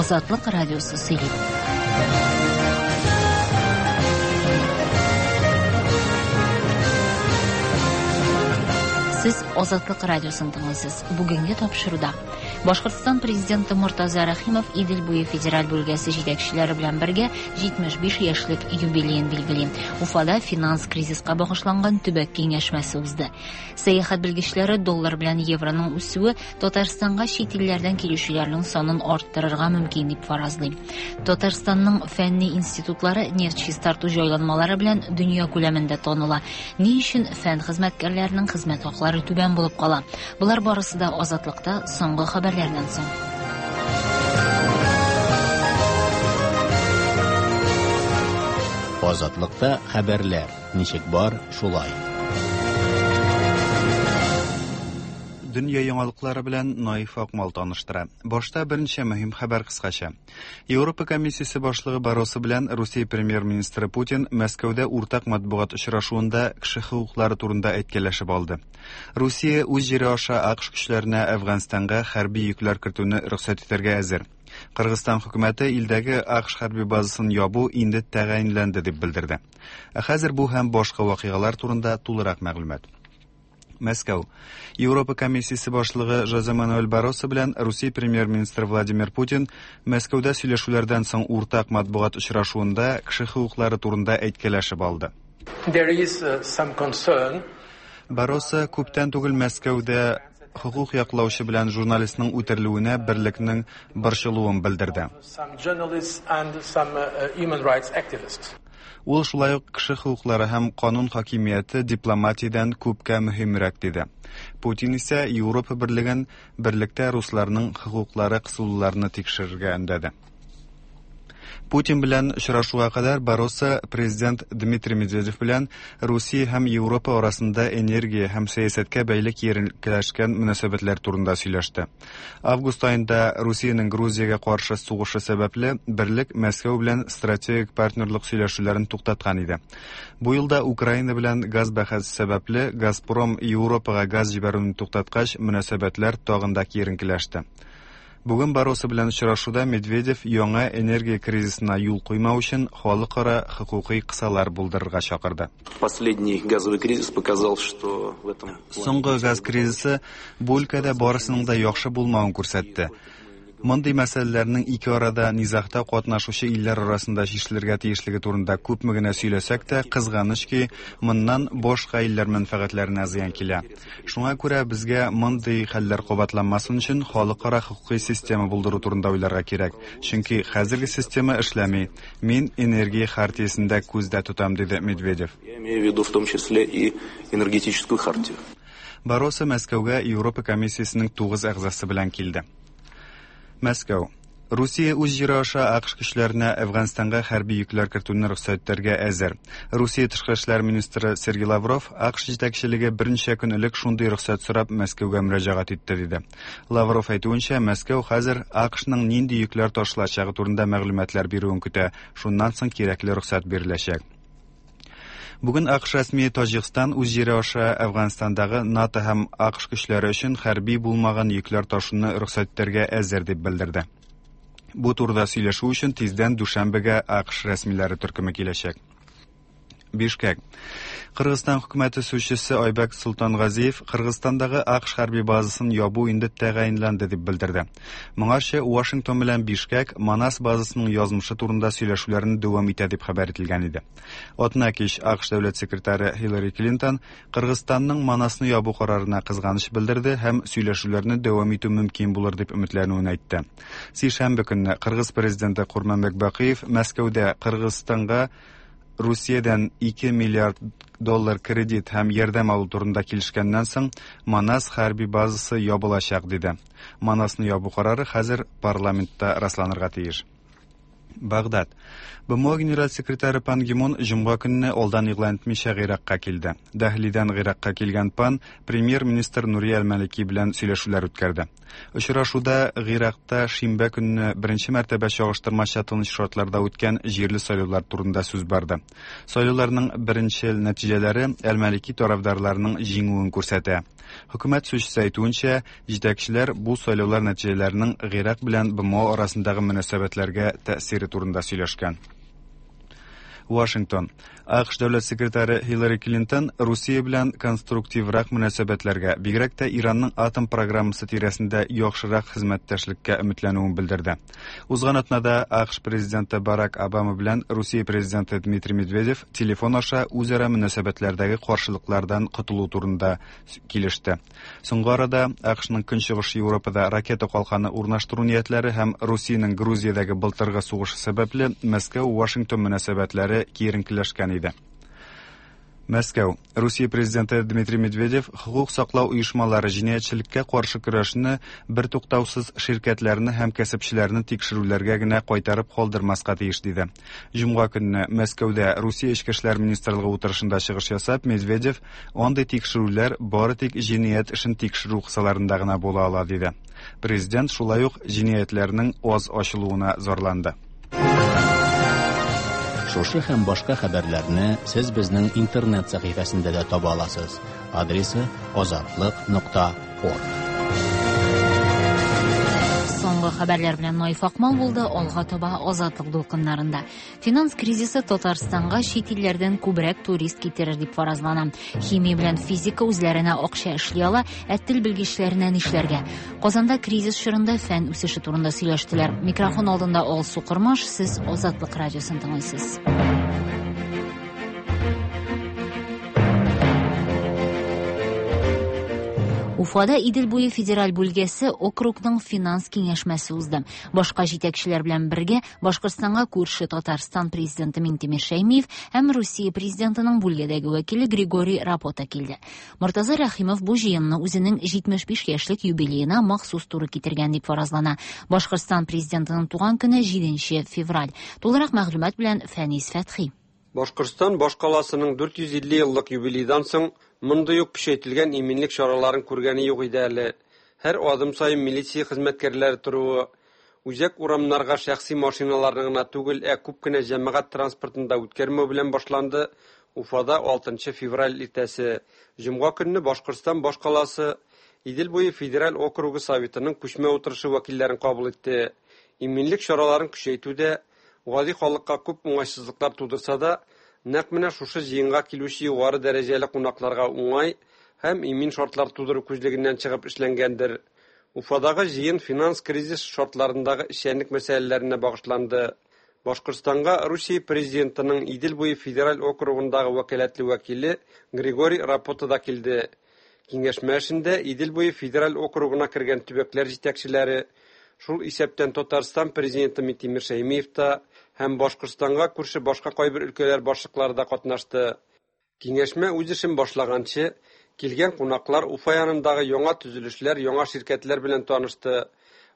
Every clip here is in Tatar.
Азатлык радиосы сөйли. Сез Азатлык радиосын тыңлыйсыз. Бүгенге тапшыруда Башкортстан президенты Мортаза Рәхимов Идел буе федераль бүлгәсе җитәкчеләре белән бергә 75 яшьлек юбилеен билгели. Уфада финанс кризиска багышланган төбәк киңәшмәсе узды. Сәяхәт белгечләре доллар белән евроның үсүе Татарстанга чит илләрдән килүчеләрнең санын арттырырга мөмкин дип фаразлый. Татарстанның фәнни институтлары нефть чистарту җайланмалары белән дөнья күләмендә таныла. Ни өчен фән хезмәткәрләренең хезмәт хаклары түбән булып кала? Болар барысы да Азатлыкта соңгы хәбәрләрдән соң. Азатлыкта хәбәрләр ничек бар, шулай. Дөнья яңалыклары белән Наиф Акмал таныштыра. Башта берничә мөһим хәбәр кыскача. Европа комиссиясе башлыгы Барросо белән Русия премьер-министры Путин Мәскәүдә уртак матбугат очрашуында кеше хокуклары турында әйткәләшеп алды. Русия үз җире аша АКШ көчләренә Әфганстанга хәрби йөкләр кертүне рөхсәт итәргә әзер. Кыргызстан хөкүмәте илдәге АКШ хәрби базасын ябу инде тәгаенләнде дип белдерде. Ә хәзер бу һәм башка вакыйгалар турында тулырак мәгълүмат. Мәскәү. Европа комиссиясе башлыгы Жозе Мануэль Барросо белән Русия премьер-министры Владимир Путин Мәскәүдә сөйләшүләрдән соң уртак матбугат очрашуында кеше хокуклары турында әйткәләшеп алды. There is uh, some concern. Барросо күптән түгел Мәскәүдә хокук яклаучы белән журналистның үтерелүенә берлекнең борчылуын белдерде. Some journalists and some uh, human rights activists. Ул шулай ук кеше хокуклары һәм канун хакимияте дипломатиядән күпкә мөһимрәк диде. Путин исә Европа берлеген берлектә русларның хокуклары кысылуларны тикшерергә өндәде. Путин белән очрашуга кадәр Барросо президент Дмитрий Медведев белән Русия һәм Европа арасында энергия һәм сәясәткә бәйле киеренкеләшкән мөнәсәбәтләр турында сөйләште. Август аенда Русиянең Грузиягә каршы сугышы сәбәпле, берлек Мәскәү белән стратегик партнерлык сөйләшүләрен туктаткан иде. Бу елда Украина белән газ бәхәсе сәбәпле Газпром Европага газ җибәрүне туктаткач, мөнәсәбәтләр тагын да киеренкеләште. Бүген Барросо белән очрашуда Медведев яңа энергия кризисына юл куймау өчен халыкара хокукый кысалар булдырырга чакырды. Последний газовый кризис показал, что в этом Соңгы газ кризисы бу өлкәдә барысының да яхшы булмавын күрсәтте. Мондый мәсьәләләрнең ике арада низагта катнашучы илләр арасында чишелергә тиешлеге турында күпме генә сөйләсәк тә, кызганыч ки, моннан башка илләр мәнфәгатьләренә зыян килә. Шуңа күрә безгә мондый хәлләр кабатланмасын өчен халыкара хокукый система булдыру турында уйларга кирәк. Чөнки хәзерге система эшләми. Мин энергия хартиясен дә күздә тотам, диде Медведев. Я имею в виду в том числе и энергетическую хартию. Барросо Мәскәүгә Европа комиссиясенең 9 әгъзасы белән килде. Мәскәү. Русия үз җире аша АКШ көчләренә Әфганстанга хәрби йөкләр кертүне рөхсәт итәргә әзер. Русия тышкы эшләр министры Сергей Лавров АКШ җитәкчелеге берничә көн элек шундый рөхсәт сорап Мәскәүгә мөрәҗәгать итте диде. Лавров әйтүенчә, Мәскәү хәзер АКШның нинди йөкләр ташылачагы турында мәгълүматлар бирүен көтә, шуннан соң кирәкле рөхсәт биреләчәк. Бүген АКШ рәсмие Таҗикстан үз җире аша Әфганстандагы НАТО һәм АКШ көчләре өчен хәрби булмаган йөкләр ташуны рөхсәт итәргә әзер дип белдерде. Бу турыда сөйләшү өчен тиздән Дүшәмбегә АКШ рәсмиләре төркеме киләчәк. Бишкек. Кыргызстан хөкүмәте сүзчесе Айбәк Султангазиев Кыргызстандагы АКШ хәрби базасын ябу инде тәгаенләнде дип белдерде. Моңарчы Вашингтон белән Бишкек Манас базасының язмышы турында сөйләшүләрне дәвам итә дип хәбәр ителгән иде. Атна кич АКШ дәүләт секретаре Хиллари Клинтон Кыргызстанның Манасны ябу карарына кызганыч белдерде һәм сөйләшүләрне дәвам итү мөмкин булыр дип өметләнүен әйтте. Сишәмбе көнне Кыргыз президенты Курманбек Бакиев Мәскәүдә Кыргызстанга Русиядән 2 миллиард доллар кредит һәм ярдәм алу турында килешкәннән соң Манас хәрби базасы ябылачак диде. Манасны ябу карары хәзер парламентта расланырга тиеш. Багдад. БМО генераль секретаре Пан Ги Мун җомга көнне алдан игълан итмичә Гыйракка килде. Дәһлидән Гыйракка килгән Пан премьер-министр Нури әл-Малики белән сөйләшүләр үткәрде. Очрашуда Гыйракта шимбә көнне беренче мәртәбә чагыштырмача тыныч шартларда үткән җирле сайлаулар турында сүз барды. Сайлауларның беренчел нәтиҗәләре әл-Малики тарафдарларының җиңүен күрсәтә. Хөкүмәт сүзчесе әйтүенчә, җитәкчеләр бу сайлаулар нәтиҗәләренең Гыйрак белән БМО арасындагы мөнәсәбәтләргә тәэсире турында сөйләшкән. Вашингтон. АКШ дәүләт секретаре Хиллари Клинтон Русия белән конструктиврак мөнәсәбәтләргә, бигрәк тә Иранның атом программасы тирәсендә яхшырак хезмәттәшлеккә өметләнүен белдерде. Узган атнада АКШ президенты Барак Обама белән Русия президенты Дмитрий Медведев телефон аша үзара мөнәсәбәтләрдәге каршылыклардан котылу турында килеште. Соңгы арада АКШның Көнчыгыш Европада ракета калканы урнаштыру ниятләре һәм Русиянең Грузиядәге былтыргы сугышы сәбәпле Мәскәү-Вашингтон мөнәсәбәтләре киеренкеләшкән иде. Мәскәү. Русия президенты Дмитрий Медведев хокук саклау оешмалары җинаятьчелеккә каршы көрәшне бертуктаусыз ширкәтләрне һәм кәсепчеләрне тикшерүләргә генә кайтарып калдырмаска тиеш диде. Җомга көнне Мәскәүдә Русия Эчке эшләр министрлыгы утырышында чыгыш ясап, Медведев андый тикшерүләр бары тик җинаять эшен тикшерү кысаларында гына була ала диде. Президент шулай ук җинаятьләрнең аз ачылуына зарланды. Шушы һәм башка хәбәрләрне сез безнең интернет сәхифәсендә дә таба аласыз. Адресы azatliq.org. Соңгы хәбәрләр белән Наиф Акмал булды. Алга таба Азатлык дулкыннарында. Финанс кризисы Татарстанга чит илләрдән күбрәк турист китерер дип фаразлана. Химия белән физика үзләренә акча эшли ала, ә тел белгечләренә нишләргә? Казанда кризис чорында фән үсеше турында сөйләштеләр. Микрофон алдында Алсу Кормаш, сез Азатлык радиосын тыңлыйсыз. Уфада Идел буе федераль бүлгәсе округның финанс киңәшмәсе узды. Башка җитәкчеләр белән бергә Башкортстанга күрше Татарстан президенты Миңтимер Шәймиев һәм Русия президентының бүлгәдәге вәкиле Григорий Рапота килде. Мортаза Рәхимов бу җыенны үзенең 75 яшьлек юбилеена махсус туры китергән дип фаразлана. Башкортстан президентының туган көне 7 февраль. Тулырак мәгълүмат белән Фәнис Фәтхи. Башкортстан башкаласының 450 еллык юбилейдан соң мондый ук көчәйтелгән иминлек чараларын күргәне юк иде әле. Һәр адым саен милиция хезмәткәрләре торуы, үзәк урамнарга шәхси машиналарны гына түгел, ә күп кенә җәмәгать транспортын да үткәрмәү белән башланды Уфада 6 февраль иртәсе. Җомга көнне Башкортстан башкаласы Идел буе федераль округы советының күчмә утырышы вәкилләрен кабул итте. Иминлек чараларын көчәйтүдә гади халыкка күп уңайсызлыклар тудырса да, нәкъ менә шушы җыенга килүче югары дәрәҗәле кунакларга уңай һәм имин шартлар тудыру күзлегеннән чыгып эшләнгәндер. Уфадагы җыен финанс кризис шартларындагы эшчәнлек мәсьәләләренә багышланды. Башкортстанга Русия президентының Идел буе федераль округындагы вәкаләтле вәкиле Григорий Рапота да килде. Киңәшмә эшендә Идел буе федераль округына кергән төбәкләр җитәкчеләре, шул исәптән Татарстан президенты Миңтимер Шәймиев та һәм Башкортстанга күрше башка кайбер өлкәләр башлыклары да катнашты. Киңәшмә үз эшен башлаганчы, килгән кунаклар Уфа янындагы яңа төзелешләр, яңа ширкәтләр белән танышты.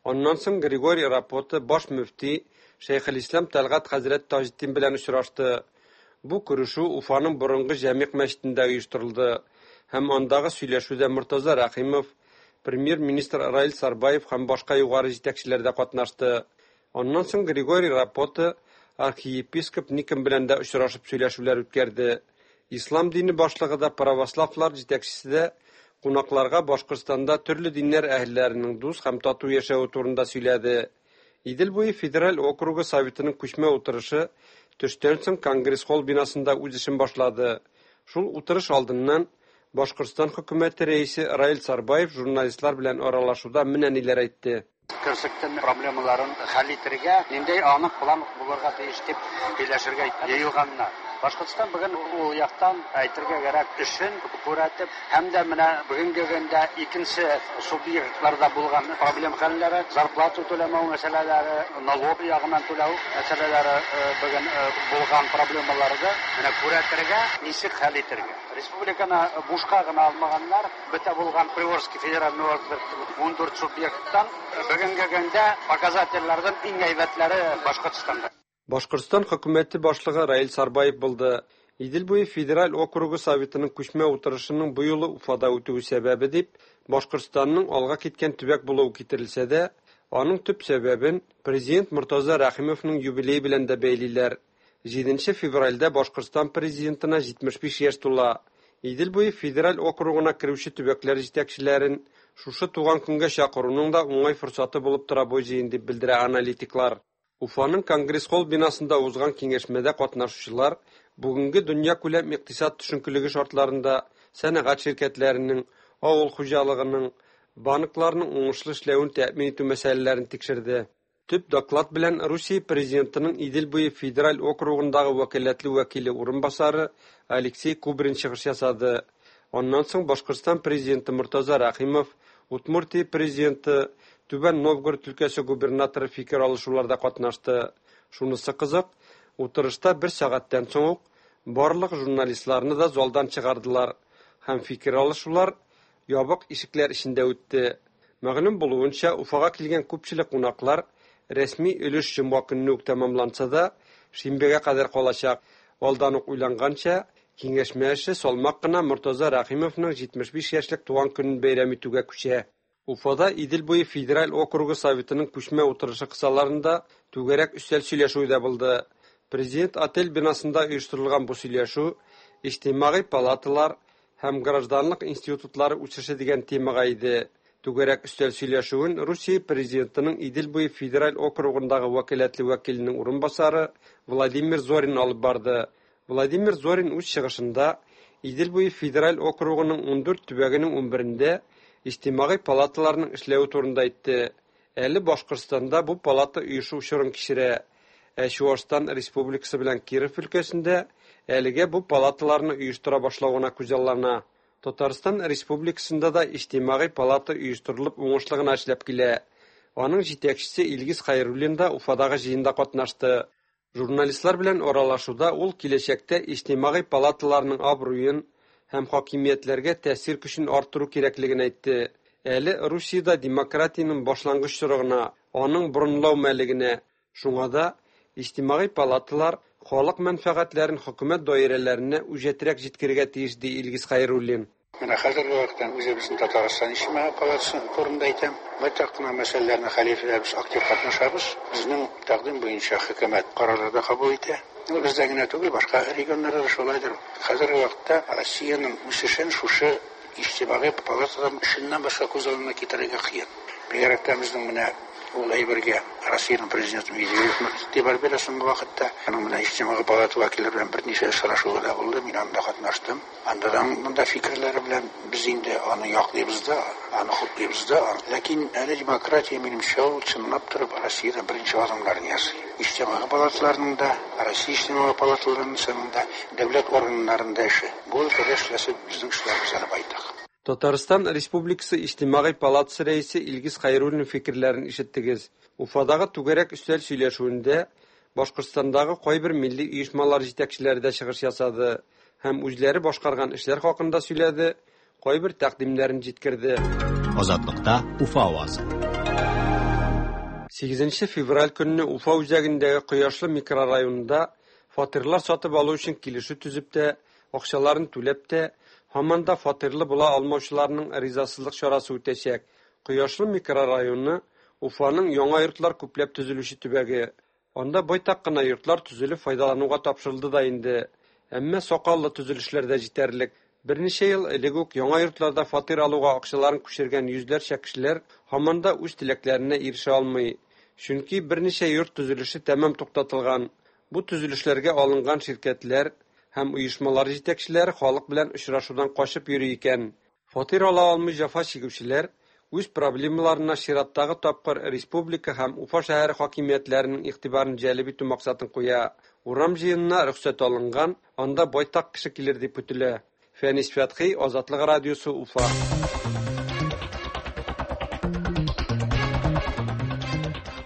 Аннан соң Григорий Рапота баш мөфти Шәйхелислам Тәлгать хәзрәт Таҗетдин белән очрашты. Бу күрешү Уфаның борынгы Җәмигъ мәчетендә оештырылды һәм андагы сөйләшүдә Мортаза Рәхимов, премьер-министр Раил Сарбаев һәм башка югары җитәкчеләр дә катнашты. Аннан соң Григорий Рапота архиепископ Никон белән дә очрашып сөйләшүләр үткәрде. Ислам дине башлыгы да, православлар җитәкчесе дә кунакларга Башкортстанда төрле диннәр әһелләренең дус һәм тату яшәве турында сөйләде. Идел буе федераль округы советының күчмә утырышы төштән соң Конгресс-холл бинасында үз эшен башлады. Шул утырыш алдыннан Башкортстан хөкүмәте рәисе Раил Сарбаев журналистлар белән аралашуда менә ниләр әйтте. Көрсектен проблемаларын хәл итәргә ниндәй анык план булырга тиеш дип сөйләшергә җыелганнар. Башкортстан бүген ул яктан әйтергә кирәк эшен күрәтеп һәм дә менә бүгенге көндә икенче субъектларда булган проблем хәлләре, зарплата түләмәү мәсьәләләре, налог ягыннан түләү мәсьәләләре бүген булган проблемаларны менә күрәтергә, ничек хәл итәргә. Республиканы бушка гына алмаганнар, бөтә булган Приволжский федеральный округ 14 субъекттан бүгенге көндә показательләрдән иң әйбәтләре Башкортстанда. Башкортстан хөкүмәте башлыгы Раил Сарбаев булды. Идел буе федераль округы Советының күчмә утырышының бу юлы Уфада үтүе сәбәбе дип, Башкортстанның алга киткән төбәк булуы китерелсә дә, аның төп сәбәбен президент Мортаза Рәхимовның юбилее белән дә бәйлиләр. 7 февральдә Башкортстан президентына 75 яшь тула. Идел буе федераль округына керүче төбәкләр җитәкчеләрен шушы туган көнгә чакыруның да уңай форсаты булып тора бу җыен дип белдерә аналитиклар. Уфаның Конгресс-холл бинасында узган киңәшмәдә катнашучылар бүгенге дөньякүләм икътисад төшенкелеге шартларында сәнәгать ширкәтләренең, авыл хуҗалыгының, банкларның уңышлы эшләвен тәэмин итү мәсьәләләрен тикшерде. Төп доклад белән Русия президентының Идел буе федераль округындагы вәкаләтле вәкиле урынбасары Алексей Кубрин чыгыш ясады. Аннан соң Башкортстан президенты Мортаза Рәхимов, Удмуртия президенты, Түбән Новгород өлкәсе губернаторы фикер алышуларда катнашты. Шунысы кызык, утырышта бер сәгатьтән соң ук барлык журналистларны да залдан чыгардылар һәм фикер алышулар ябык ишекләр эчендә үтте. Мәгълүм булуынча, Уфага килгән күпчелек кунаклар рәсми өлеш җомга көнне үк тәмамланса да, шимбәгә кадәр калачак. Алдан ук уйланганча, киңәшмә эше салмак кына Мортаза Рәхимовның 75 яшьлек туган көнен бәйрәм итүгә күчә. Уфада Идел буе федераль округы Советының күчмә утырышы кысаларында түгәрәк өстәл сөйләшүе дә булды. Президент отель бинасында оештырылган бу сөйләшү иҗтимагый палаталар һәм гражданлык институтлары үсеше дигән темага иде. Түгәрәк өстәл сөйләшүен Русия президентының Идел буе федераль округындагы вәкаләтле вәкиленең урынбасары Владимир Зорин алып барды. Владимир Зорин үз чыгышында Идел буе федераль округының 14 төбәгенең 11-ндә иҗтимагый палаталарның эшләве турында әйтте. Әле Башкортстанда бу палата оешу чорын кичерә. Ә Чуашстан Республикасы белән Киров өлкәсендә әлегә бу палаталарны оештыра башлау гына күзаллана. Татарстан Республикасында да иҗтимагый палата оештырылып уңышлы гына эшләп килә. Аның җитәкчесе Илгиз Хәйруллин да Уфадагы җыенда катнашты. Журналистлар белән аралашуда ул киләчәктә иҗтимагый палаталарның абруен һәм хакимиятләргә тәэсир көчен арттыру кирәклеген әйтте. Әле Русиядә демократиянең башлангыч чоры гына, аның борынлау мәле генә. Шуңа да иҗтимагый палаталар халык мәнфәгатьләрен хөкүмәт даирәләренә үҗәтрәк җиткерергә тиеш, ди Илгиз Хәйруллин. Менә хәзерге вакытта үзебезнең Татарстан Иҗтимагый палатасы турында әйтәм. Байтак кына мәсьәләләрне хәл итүдә без актив катнашабыз. Безнең тәкъдим буенча хөкүмәт карарлар да кабул итә. Ну, бездә генә түгел, башка регионнарда да шулайдыр. Хәзерге вакытта Россиянең үсешен шушы иҗтимагый палатадан эшеннән башка күз алдына китерергә кыен. Бигрәк тә безнең менә ул әйбергә Россиянең президенты Медведев нык игътибар бирә соңгы вакытта. Аның менә иҗтимагый палата вәкилләре белән берничә очрашуы да булды, мин анда катнаштым. Анда да монда фикерләре белән без инде аны яклыйбыз да, аны хуплыйбыз да. Ләкин әле демократия, минемчә, ул чынлап торып Россиядә беренче адымнарын ясый. Иҗтимагый палаталарның да, Россия иҗтимагый палаталарының да, дәүләт органнарында эше. Бу өлкәдә эшләсе безнең эшләребез әле байтак. Татарстан Республикасы Иҗтимагый палатасы рәисе Илгиз Хәйруллин фикерләрен ишеттегез. Уфадагы түгәрәк өстәл сөйләшүендә Башкортстандагы кайбер милли оешмалар җитәкчеләре дә чыгыш ясады һәм үзләре башкарган эшләр хакында сөйләде, кайбер тәкъдимнәрен җиткерде. Азатлыкта Уфа авазы. 8 февраль көнне Уфа үзәгендәге Кояшлы микрорайонында фатирлар сатып алу өчен килешү төзеп тә, акчаларын түләп тә, һаман да фатирлы була алмаучыларның ризасызлык чарасы үтәчәк. Кояшлы микрорайоны Уфаның яңа йортлар күпләп төзелүче төбәге. Анда байтак кына йортлар төзелеп файдалануга тапшырылды да инде. Әмма сакаллы төзелешләр дә җитәрлек. Берничә ел элек үк яңа йортларда фатир алуга акчаларын күчергән йөзләрчә кешеләр һаман да үз теләкләренә ирешә алмый. Чөнки берничә йорт төзелеше тәмам туктатылган. Бу төзелешләргә алынган ширкәтләр һәм оешмалар җитәкчеләре халык белән очрашудан качып йөри икән. Фатир ала алмый җәфа чигүчеләр үз проблемаларына чираттагы тапкыр республика һәм Уфа шәһәре хакимиятләренең игътибарын җәлеп итү максатын куя. Урам җыенына рөхсәт алынган, анда байтак кеше килер дип көтелә. Фәнис Фәтхи, Азатлык радиосы, Уфа.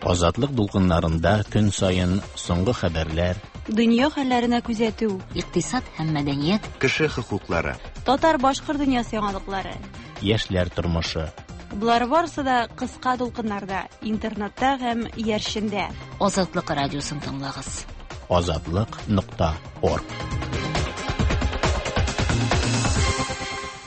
Азатлык дулкыннарында көн саен соңгы хәбәрләр, Дөнья хәлләренә күзәтү, Икътисад һәм мәдәният, Кеше хокуклары. татар-башкорт дөньясы яңалыклары, яшьләр тормышы. Болар барысы да кыска дулкыннарда, интернетта һәм иярчендә. Азатлык радиосын тыңлагыз. Азатлык.орг.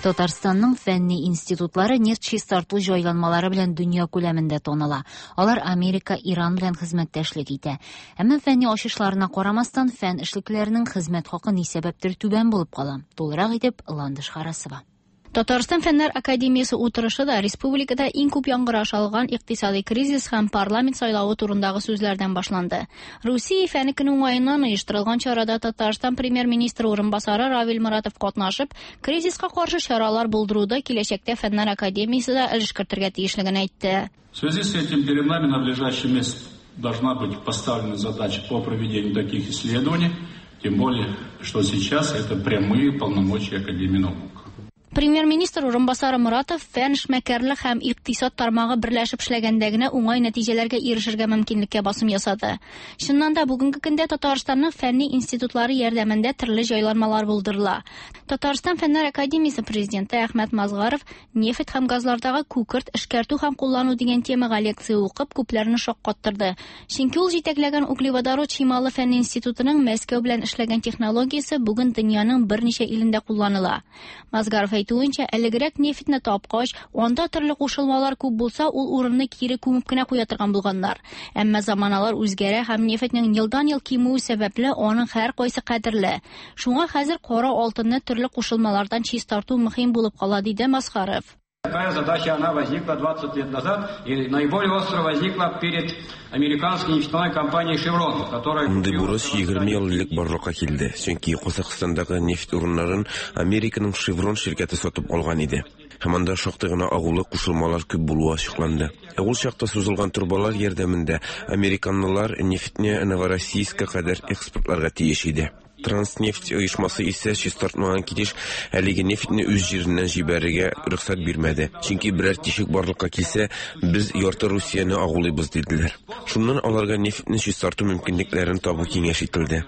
Татарстанның фәнни институтлары нефть чистарту җайланмалары белән дөнья күләмендә таныла. Алар Америка, Иран белән хезмәттәшлек итә. Әмма фәнни ачышларына карамастан, фән эшлеклеләренең хезмәт хакы ни сәбәптер түбән булып кала. Тулырак итеп Ландыш Харасова. Татарстан Фәннәр академиясе утырышы да республикада иң күп яңгыраш алган икътисади кризис һәм парламент сайлавы турындагы сүзләрдән башланды. Русия фәне көне уңаеннан оештырылган чарада Татарстан премьер-министры урынбасары Равил Моратов катнашып, кризиска каршы чаралар булдыруда киләчәктә Фәннәр академиясе дә өлеш кертергә тиешлеген әйтте. В связи с этим перед нами на ближайший месяц должна быть поставлена задача по проведению таких исследований, тем более, что сейчас это прямые полномочия Академии наук. Премьер-министр урынбасары Моратов фән, эшмәкәрлек һәм икътисад тармагы берләшеп эшләгәндә генә уңай нәтиҗәләргә ирешергә мөмкинлеккә басым ясады. Чыннан да бүгенге көндә Татарстанның фәнни институтлары ярдәмендә төрле җайланмалар булдырыла. Татарстан Фәннәр академиясе президенты Әхмәт Мазгаров нефть һәм газлардагы күкерт эшкәртү һәм куллану дигән темага лекция укып, күпләрне шаккаттырды. Чөнки ул җитәкләгән углеводород чималы фәнни институтының Мәскәү белән эшләгән технологиясе бүген дөньяның берничә илендә кулланыла. Мазгаров әйтүенчә, элегрәк нефтьне тапкач, анда төрле кушылмалар күп булса, ул урынны кире күмеп кенә куя торган булганнар. Әмма заманалар үзгәрә һәм нефтьнең елдан-ел кимүе сәбәпле аның һәркайсы кадерле. Шуңа хәзер кара алтынны төрле кушылмалардан чистарту мөһим булып кала, диде Мазгаров. Такая задача, она возникла 20 лет назад и наиболее остро возникла перед американской нефтяной компанией «Шеврон», которая... Мондый бурыч 20 ел элек барлыкка килде, чөнки Казахстандагы нефть урыннарын Американың «Шеврон» ширкәте сатып алган иде. Һәм анда шактый гына агулы кушылмалар күп булуы ачыкланды. Ә ул чакта сузылган торбалар ярдәмендә американлылар нефтьне Новороссийскка кадәр экспортларга тиеш иде. Транснефть оешмасы исә чистартмаган килеш әлеге нефтьне үз җиреннән җибәрергә рөхсәт бирмәде. Чөнки берәр тишек барлыкка килсә, без ярты Русияне агулыйбыз, диделәр. Шуннан аларга нефтьне чистарту мөмкинлекләрен табу киңәш ителде.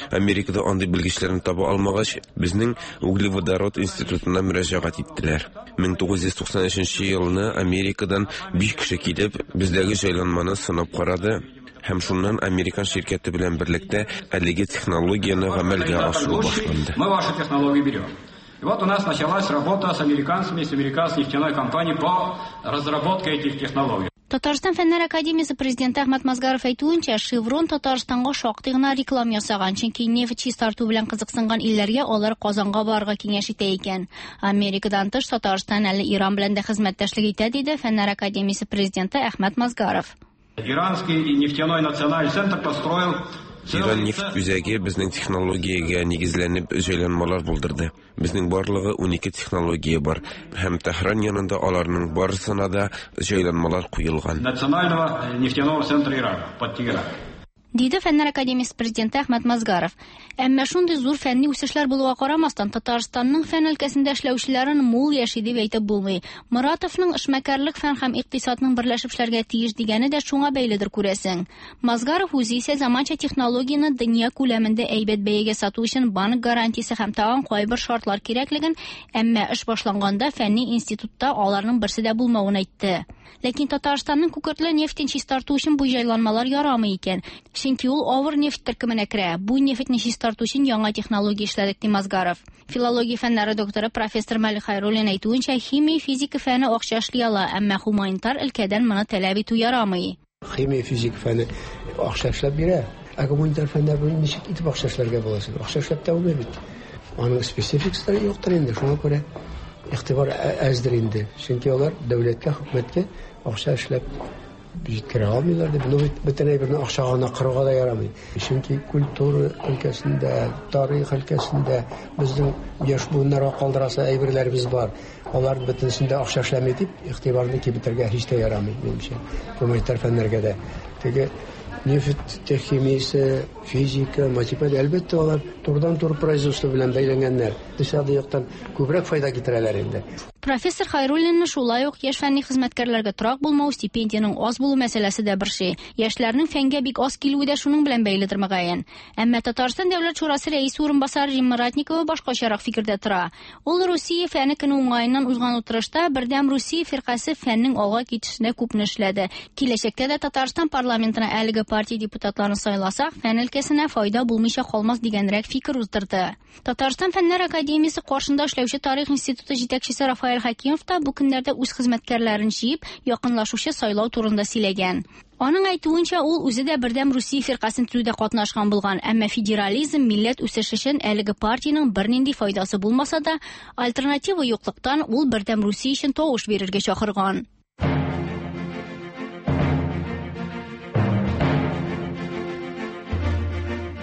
Америкада андый белгечләрне таба алмагач, безнең углеводород институтына мөрәҗәгать иттеләр. 1993 елны Америкадан 5 кеше килеп, бездәге җайланманы сынап карады. Һәм шуннан американ ширкәте белән берлектә әлеге технологияне гамәлгә ашыру башланды. Мы ваши технологии берем. И вот у нас началась работа с американцами, с американской нефтяной компанией по разработке этих технологий. Татарстан Фәннәр академиясе президенты Әхмәт Мазгаров әйтүенчә, Шеврон Татарстанга шактый гына реклам ясаган, чөнки нефть чистарту белән кызыксынган илләргә алар Казанга барырга киңәш итә икән. Америкадан тыш Татарстан әле Иран белән дә хезмәттәшлек итә, диде Фәннәр академиясе президенты Әхмәт Мазгаров. Иранский нефтяной национальный центр построил Иран нефть үзәге безнең технологиягә нигезләнеп җайланмалар булдырды. Безнең барлыгы 12 технология бар, һәм Тәһран янында аларның барысына да җайланмалар куелган. Национального нефтяного центра Ирана под Тегеран. Диде Фәннәр академиясе президенты Әхмәт Мазгаров. Әмма шундый зур фәнни үсешләр булуга карамастан, Татарстанның фән өлкәсендә эшләүчеләрен мул яши дип әйтеп булмый. Моратовның эшмәкәрлек фән һәм икътисадның берләшеп эшләргә тиеш дигәне дә шуңа бәйледер, күрәсең. Мазгаров үзе исә заманча технологияне дөнья күләмендә әйбәт бәягә сату өчен банк гарантиясе һәм тагын кайбер шартлар кирәклеген, әмма эш башланганда фәнни институтта аларның берсе дә булмавын әйтте. Ләкин Татарстанның күкертле нефтен чистарту өчен бу җайланмалар ярамый икән. Чөнки ул авыр нефть төркеменә керә. Бу нефтьне чистарту өчен яңа технология эшләдек, ди Мазгаров. Филология фәннәре докторы профессор Мәлик Хайруллин әйтүенчә, химия, физика фәне акча эшли ала, әмма гуманитар өлкәдән моны таләп итү ярамый. Химия, физика фәне акча эшләп бирә. Ә гуманитар фәндә бу ничек итеп акча эшләргә була соң? Акча эшләп тә булмый бит. Аның спецификасы юктыр инде, шуңа күрә игътибар әздер инде. Чөнки алар дәүләткә, хөкүмәткә акча эшләп җиткерә алмыйлар дип. Ну бит бөтен әйберне акчага гына кырырга да ярамый. Чөнки культура өлкәсендә, тарих өлкәсендә безнең яшь буыннарга калдырасы әйберләребез бар. Алар бөтенесендә акча эшләми дип игътибарны киметергә һич тә ярамый, минемчә. Гуманитар фәннәргә дә. Теге нефть химиясе, физика, математика, әлбәттә, алар турыдан-туры производство белән бәйләнгәннәр. Икътисади яктан күбрәк файда китерәләр инде. Профессор Хайруллинны шулай ук яшь фәнни хезмәткәрләргә торак булмау, стипендиянең аз булу мәсьәләсе дә борчый. Яшьләрнең фәнгә бик аз килүе дә шуның белән бәйледер мөгаен. Әмма Татарстан Дәүләт шурасы рәисе урынбасары Римма Ратникова башкачарак фикердә тора. Ул Русия фәне көне уңаеннан узган утырышта Бердәм Русия фиркасе фәннең алга китешенә күпне эшләде. Киләчәктә дә Татарстан парламентына әлеге партия депутатларын сайласак, фән өлкәсенә файда булмыйча калмас дигәнрәк фикер уздырды. Татарстан Фәннәр академиясе каршында эшләүче Тарих институты җитәкчесе Рафаэль Хәкимов та бу көннәрдә үз хезмәткәрләрен җыеп, якынлашучы сайлау турында сөйләгән. Аның әйтүенчә, ул үзе дә Бердәм Русия фиркасен төзүдә катнашкан булган, әмма федерализм, милләт үсеше өчен әлеге партиянең бернинди файдасы булмаса да, альтернатива юклыктан ул Бердәм Русия өчен тавыш бирергә чакырган.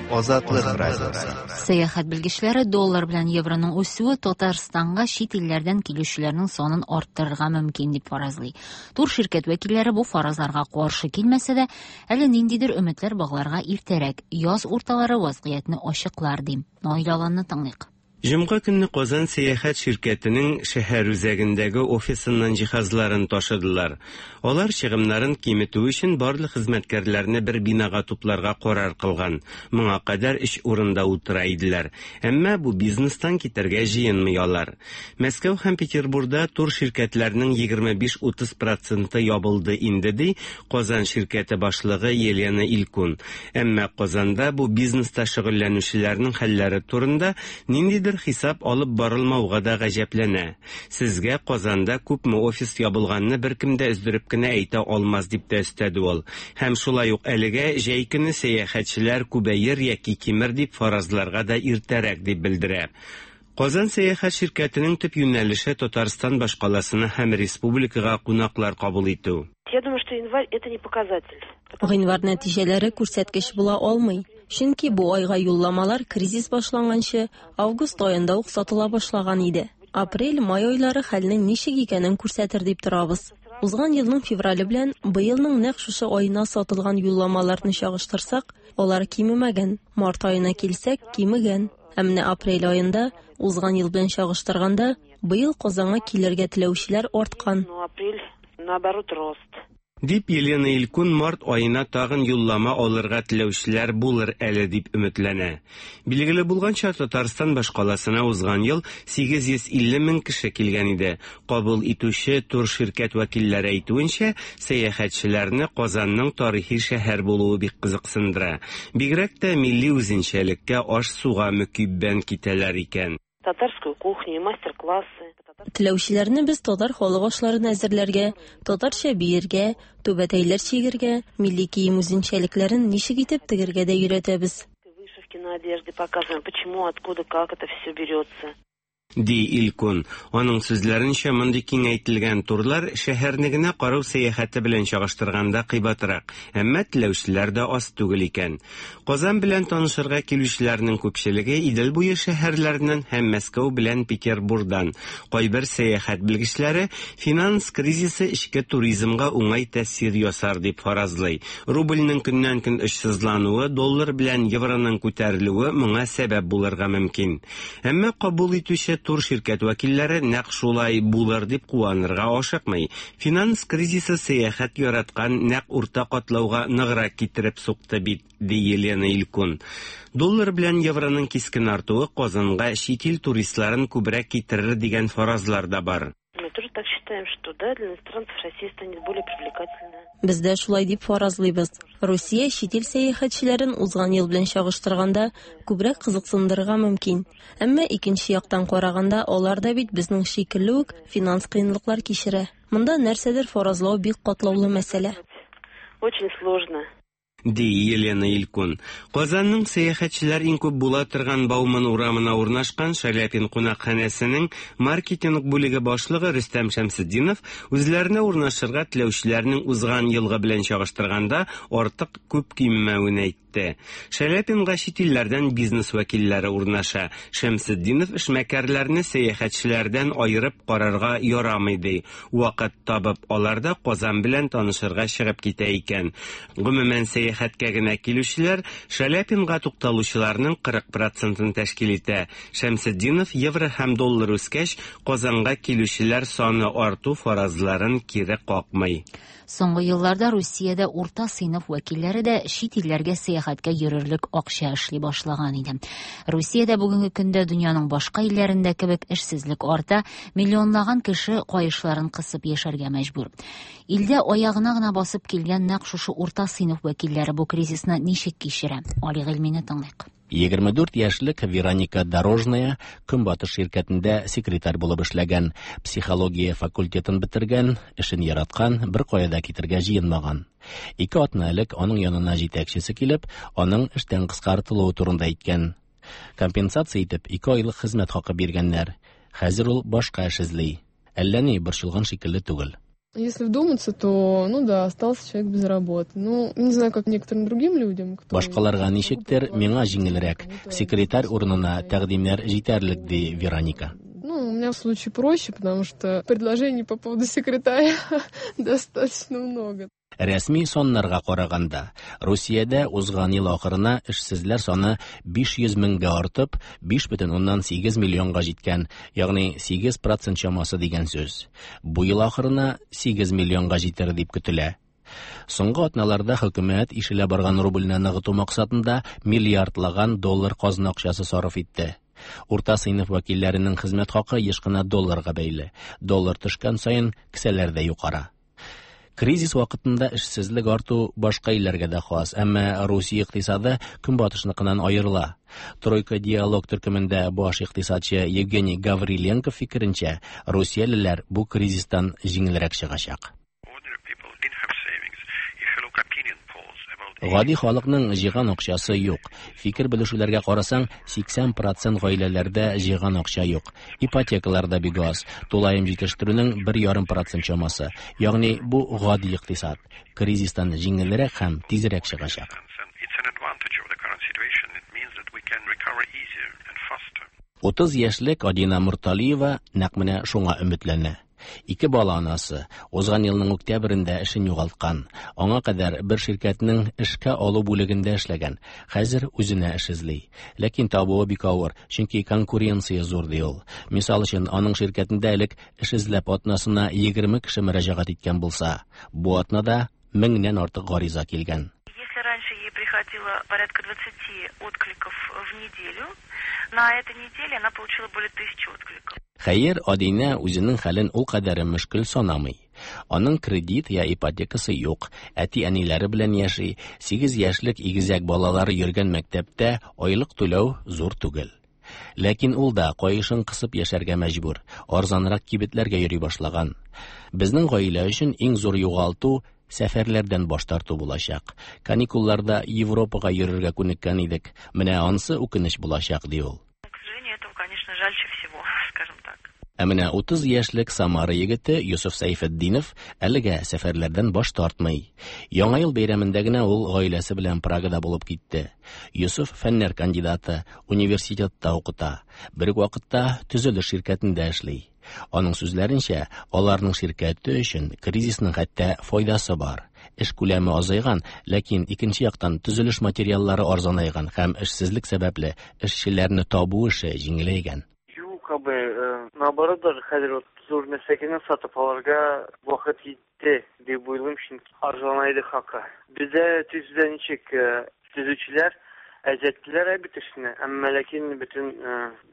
Азатлык радиосы. Сәяхәт белгечләре доллар белән евроның үсүе Татарстанга чит илләрдән килүчеләрнең санын арттырырга мөмкин дип фаразлый. Тур ширкәт вәкилләре бу фаразларга каршы килмәсә дә, әле ниндидер өметләр багларга иртәрәк, яз урталары вазгыятьне ачыклар ди. Наил Аланны тыңлыйк. Җомга көнне Казан сәяхәт ширкәтенең шәһәр үзәгендәге офисыннан җиһазларын ташыдылар. Алар чыгымнарын киметү өчен барлык хезмәткәрләрне бер бинага тупларга карар кылган. Моңа кадәр өч урында утыра иделәр. Әмма бу бизнестан китәргә җыенмый алар. Мәскәү һәм Петербурда тур ширкәтләрнең 25-30 проценты ябылды инде, ди Казан ширкәте башлыгы Елена Илькун. Әмма Казанда бу бизнеста шөгыльләнүчеләрнең хәлләре турында ниндидер хисап алып барылмауга да гаҗәпләнә. Сезгә Казанда күпме офис ябылганны беркем дә өздереп кенә әйтә алмас, дип тә өстәде ул. Һәм шулай ук әлегә җәй көне сәяхәтчеләр күбәер яки кимер дип фаразларга да иртәрәк, дип белдерә. Казан сәяхәт ширкәтенең төп юнәлеше Татарстан башкаласына һәм республикага кунаклар кабул итү. Я думаю, что январь это не показатель. Гыйнвар нәтиҗәләре күрсәткеч була алмый. Чөнки бу айга юлламалар кризис башланганчы август аенда ук сатыла башлаган иде. Апрель, май айлары хәлнең ничек икәнен күрсәтер дип торабыз. Узган елның феврале белән быелның нәкъ шушы аена сатылган юлламаларны чагыштырсак, алар кимемәгән. Март аена килсәк, кимегән. Ә менә апрель аенда узган ел белән чагыштырганда, быел Казанга килергә теләүчеләр арткан. Но апрель, наоборот, рост. Дип Елена Илькун март аена тагын юллама алырга теләүчеләр булыр әле дип өметләнә. Билгеле булганча, Татарстан башкаласына узган ел 850 мең кеше килгән иде. Кабул итүче тур ширкәт вәкилләре әйтүенчә, сәяхәтчеләрне Казанның тарихи шәһәр булуы бик кызыксындыра. Бигрәк тә милли үзенчәлеккә, аш-суга мөкиббән китәләр икән. Татарскую кухню и мастер-классы. Теләүчеләрне без татар халык ашларын әзерләргә, татарча биергә, түбәтәйләр чигергә, милли кием үзенчәлекләрен ничек итеп тегергә дә өйрәтәбез. Вышивки на одежде показываем, почему, откуда, как это все берется. Ди Илькун. Аның сүзләренчә, мондый киңәйтелгән турлар шәһәрне генә карау сәяхәте белән чагыштырганда кыйбатрак, әмма теләүчеләр дә аз түгел икән. Казан белән танышырга килүчеләрнең күпчелеге Идел буе шәһәрләреннән һәм Мәскәү белән Петербурдан. Кайбер сәяхәт белгечләре финанс кризисы эчке туризмга уңай тәэсир ясар дип фаразлый. Рубльнең көннән-көн очсызлануы, доллар белән евроның күтәрелүе моңа сәбәп булырга мөмкин. Әмма кабул итүче тур ширкәт вәкилләре нәкъ шулай булыр дип куанырга ашыкмый. Финанс кризисы сәяхәт яраткан нәкъ урта катлауга ныграк китереп сукты бит, ди Елена Илькун. Доллар белән евроның кискен артуы Казанга чит ил туристларын күбрәк китерер дигән фаразлар да бар. Мы тоже так считаем, что да, для иностранцев Россия станет более привлекательная. Без дә шулай дип фаразлыйбыз. Русия чит ил сәяхәтчеләрен узган ел белән чагыштырганда күбрәк кызыксындырырга мөмкин. Әмма икенче яктан караганда, алар да бит безнең шикелле үк финанс кыенлыклар кичерә. Монда нәрсәдер фаразлау бик катлаулы мәсьәлә. Очень сложно. Ди Елена Илькун. Казанның сәяхәтчеләр иң күп була торган Бауман урамына урнашкан Шаляпин кунакханәсенең маркетинг бүлеге башлыгы Рөстәм Шәмсетдинов үзләренә урнашырга теләүчеләрнең узган елгы белән чагыштырганда артык күп кимемәвен әйтте. Шаляпинга чит илләрдән бизнес вәкилләре урнаша. Шәмсетдинов эшмәкәрләрне сәяхәтчеләрдән аерып карарга ярамый ди. Вакыт табып алар да Казан белән танышырга чыгып китә икән. Гомумән, сәяхәткә генә килүчеләр Шаляпинга тукталучыларның 40 процентын тәшкил итә. Шәмсетдинов евро һәм доллар үскәч, Казанга килүчеләр саны арту фаразларын кире какмый. Соңгы елларда Русиядә урта сыйныф вәкилләре дә чит илләргә сәяхәткә йөрерлек акча эшли башлаган иде. Русиядә бүгенге көндә дөньяның башка илләрендә кебек эшсезлек арта, миллионлаган кеше каешларын кысып яшәргә мәҗбүр. Илдә аягына гына басып килгән нәкъ шушы урта сыйныф вәкилләре бу кризисны ничек кичерә? Али Гыйльмине тыңлыйк. 24 яшьлек Вероника Дорожная Көнбатыш ширкәтендә секретарь булып эшләгән, психология факультетын бетергән, эшен яраткан, беркая да китергә җыенмаган. Ике атна элек аның янына җитәкчесе килеп, аның эштән кыскартылуы турында әйткән. Компенсация итеп ике айлык хезмәт хакы биргәннәр. Хәзер ул башка эш эзли. Әллә ни борчылган шикелле түгел. Если вдуматься, то, ну да, остался человек без работы. Ну, не знаю, как некоторым другим людям, кто... Башкаларга ничектер, миңа җиңелрәк. Секретарь урынына тәкъдимнәр җитәрлек, ди Вероника. Ну, у меня в случае проще, потому что предложений по поводу секретаря достаточно много. Рәсми саннарга караганда, Русиядә узган ел ахырына эшсезләр саны 500 меңгә артып, 5,8 миллионга җиткән, ягъни 8 процент чамасы дигән сүз. Бу ел ахырына 8 миллионга җитәр дип көтелә. Соңгы атналарда хөкүмәт ишелә барган рубльне ныгыту максатында миллиардлаган доллар казна акчасы сарыф итте. Урта сыйныф вәкилләренең хезмәт хакы еш кына долларга бәйле. Доллар төшкән саен кесәләр дә юкара. Кризис вакытында эшсезлек арту башка илләргә дә хас, әмма Русия икътисады көнбатышныкыннан аерыла. Тройка диалог төркемендә баш икътисадчы Евгений Гавриленко фикеренчә, русиялеләр бу кризистан җиңелрәк чыгачак. Гади халыкның җыйган акчасы юк. Фикер белешүләргә карасаң, 80 процент гаиләләрдә җыйган акча юк. Ипотекалар да бик аз. Тулаем җитештерүнең 1,5 процент чамасы. Ягъни бу гади икътисад. Кризистан җиңелрәк һәм тизрәк чыгачак. 30 яшьлек Адина Морталиева нәкъ менә шуңа өметләнә. Ике бала анасы, узган елның октябрендә эшен югалткан. Аңа кадәр бер ширкәтнең эшкә алу бүлегендә эшләгән. Хәзер үзенә эш эзли. Ләкин табуы бик авыр, чөнки конкуренция зур, ди ул. Мисал өчен, аның ширкәтендә элек эш эзләп атнасына 20 кеше мөрәҗәгать иткән булса, бу атнада меңнән артык гариза килгән. Если раньше ей приходило порядка 20 откликов в неделю, на этой неделе она получила более 1000 откликов. Хәер, Адинә үзенең хәлен ул кадәр мөшкел санамый. Аның кредит я ипотекасы юк, әти-әниләре белән яши, 8 яшьлек игезәк балалары йөргән мәктәптә айлык түләү зур түгел. Ләкин ул да каешын кысып яшәргә мәҗбүр, арзанрак кибетләргә йөри башлаган. Безнең гаилә өчен иң зур югалту сәфәрләрдән баш тарту булачак. Каникулларда Европага йөрергә күнеккән идек. Менә ансы үкенеч булачак, ди ул. К сожалению, этого, конечно, жальче всего, скажем так. Ә менә 30 яшьлек Самара егете Йосыф Сәйфетдинов әлегә сәфәрләрдән баш тартмый. Яңа ел бәйрәмендә генә ул гаиләсе белән Прагада булып китте. Йосыф фәннәр кандидаты, университетта укыта. Бер үк вакытта төзелеш ширкәтендә эшли. Аның сүзләренчә, аларның ширкәте өчен кризисның хәтта файдасы бар. Эш күләме азайган, ләкин икенче яктан төзелеш материаллары арзанайган һәм эшсезлек сәбәпле эшчеләрне табу эше җиңеләйгән. Юк, абый, наоборот даже хәзер вот зур нәрсәкәне сатып алырга вакыт җитте дип уйлыйм, чөнки арзанайды хакы. Бездә төзүдә ничек төзүчеләр әзәттеләр бит эшне, әмма ләкин бөтен,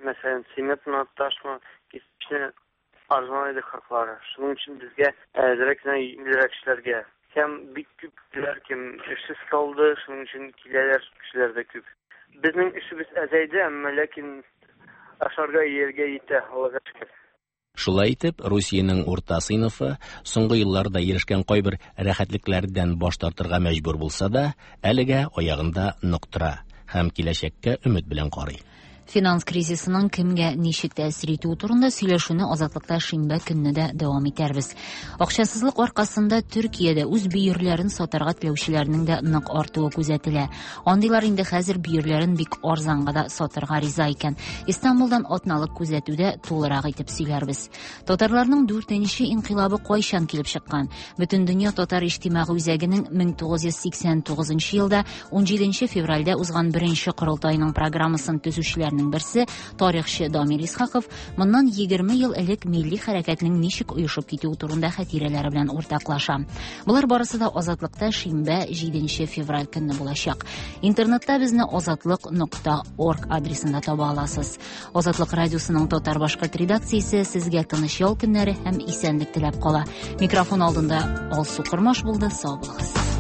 мәсәлән, цементмы, ташмы, кирпечне арзанайды хаклары. Шуның өчен безгә әзрәк кенә җиңелрәк эшләргә. Һәм бик күп кешеләр кем эшсез калды, шуның өчен киләләр кешеләр дә күп. Безнең эшебез әзәйде, әмма ләкин ашарга, ияргә җитә, Аллага шөкер. Шулай итеп, Русиянең урта сыйныфы соңгы елларда ирешкән кайбер рәхәтлекләрдән баш тартырга мәҗбүр булса да, әлегә аягында нык тора һәм киләчәккә өмет белән карый. Финанс кризисының кемгә ничек тәэсир итүе турында сөйләшүне Азатлыкта шимбә көнне дә дәвам итәрбез. Акчасызлык аркасында Төркиядә үз бөерләрен сатарга теләүчеләрнең дә нык артуы күзәтелә. Андыйлар инде хәзер бөерләрен бик арзанга да сатырга риза икән. Истанбулдан атналык күзәтүдә тулырак итеп сөйләрбез. Татарларның дүртенче инкыйлабы кайчан килеп чыккан? Бөтендөнья татар иҗтимагый үзәгенең 1989 елда 17 февральдә узган беренче корылтайның программасын төзүчеләрнең берсе, тарихчы Дамир Исхаков моннан 20 ел элек милли хәрәкәтнең ничек оешып китүе турында хатирәләре белән уртаклаша. Болар барысы да Азатлыкта шимбә 7 февраль көнне булачак. Интернетта безне азатлык.орг адресында таба аласыз. Азатлык радиосының татар-башкорт редакциясе сезгә тыныч ял көннәре һәм исәнлек теләп кала. Микрофон алдында Алсу Кормаш булды. Сау булыгыз.